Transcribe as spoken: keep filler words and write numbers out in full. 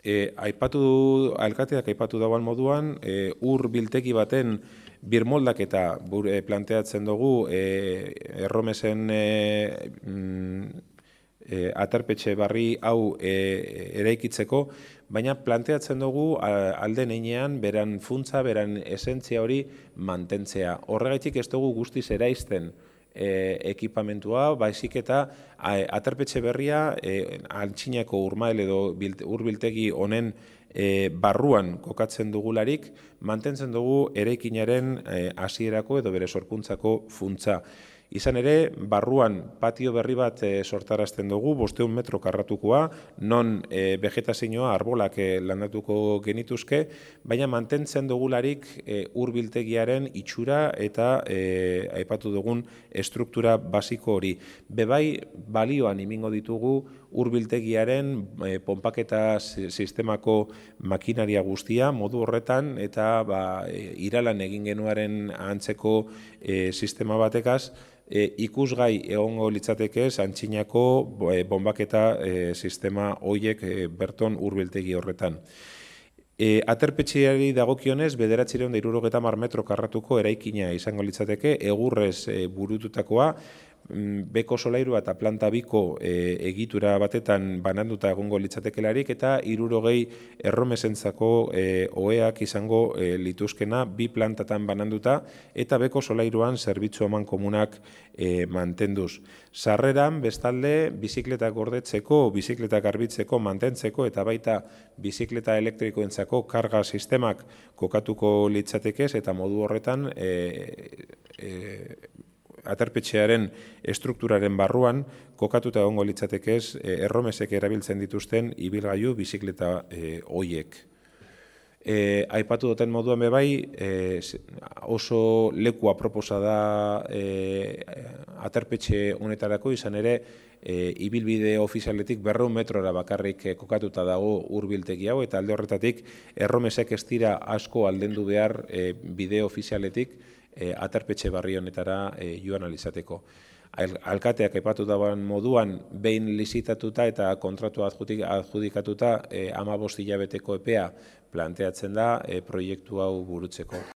E, aipatu, alkateak aipatu dagoen moduan, e, ur biltegi baten birmoldaketa bure planteatzen dugu e, erromesen e, mm, e, aterpetxe barri hau e, eraikitzeko, baina planteatzen dugu alden heinean beran funtza, beran esentzia hori mantentzea. Horregatik ez dugu guztiz eraizten E, ekipamentua, baizik eta aterpetxe berria e, Antxinako urmael edo urbiltegi honen e, barruan kokatzen dugularik, mantentzen dugu eraikinaren hasierako e, edo bere sorkuntzako funtza. Izan ere, barruan patio berri bat e, sortarazten dugu, bosteun metro karratukoa, non e, vegetazioa arbolak e, landatuko genituzke, baina mantentzen dugularik e, urbiltegiaren itxura eta e, aipatu dugun estruktura basiko hori. Bebai, balioan imingo ditugu urbiltegiaren e, ponpaketa sistemako makinaria guztia, modu horretan, eta ba, e, iralan egin genuaren antzeko e, sistema batekaz, E, ikusgai egongo litzatekez Antxinako e, bombaketa e, sistema hoiek e, berton urbiltegi horretan. E, aterpetxeari dagokionez, bederatziehun eta hirurogeita hamar metro karratuko eraikina izango litzateke, egurrez e, burututakoa, beko solairua eta planta biko e, egitura batetan bananduta egongo litzatekelarik, eta hirurogei erromesentzako e, oheak izango e, lituzkena bi plantatan bananduta, eta beko solairuan zerbitzu eman komunak e, mantenduz. Sarreran, bestalde, bizikletak gordetzeko, bizikletak garbitzeko, mantentzeko, eta baita bizikleta elektrikoentzako karga sistemak kokatuko litzatekez, eta modu horretan e, e, aterpetxearen estrukturaren barruan kokatuta egongo litzatekez erromesek erabiltzen dituzten ibilgailu bizikleta e, hoiek. E, aipatu duten moduan bebai, e, oso leku aproposa da e, aterpetxe honetarako, izan ere e, ibilbide ofizialetik berrehun metrora bakarrik kokatuta dago urbiltegi hau, eta alde horretatik erromesek ez dira asko aldendu behar e, bide ofizialetik E, aterpetxe barri honetara e, joan alizateko. Alkateak aipatu dagoen moduan, behin lizitatuta eta kontratu adjudikatuta e, hamabost hilabeteko epea planteatzen da e, proiektu hau burutzeko.